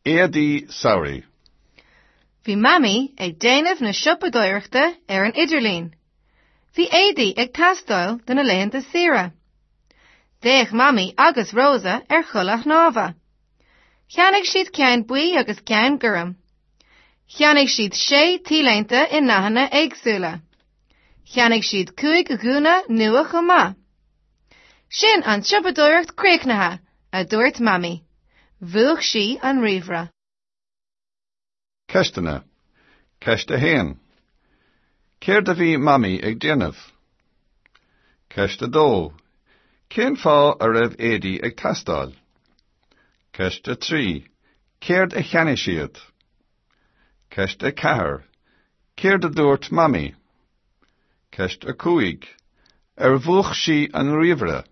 Éadaí samhraidh. Bhí Mamaí ag déanamh na siopadóireachta ar an idirlíon. Bhí éadaí ag teastáil do na laethanta saoire. D'fhéach Mamaí agus Rosa ar chulaith shnámha. Cheannaigh siad ceann buí agus ceann gorm. Cheannaigh siad sé t-léinte i ndathanna éagsúla. Cheannaigh siad 5 ghúna nua chomh maith. Sin an tsiopadóireacht críochnaithe, a dúirt Mamaí. Mhúch sí an ríomhaire. Ceisteanna. Ceist 1. Céard a bhí Mamaí ag déanamh? Ceist 2. Cén fáth a raibh éadaí ag teastáil? Ceist 3. Céard a cheannaigh siad? Ceist 4. Céard a dúirt Mamaí? Ceist 5. Ar mhúch sí an ríomhaire?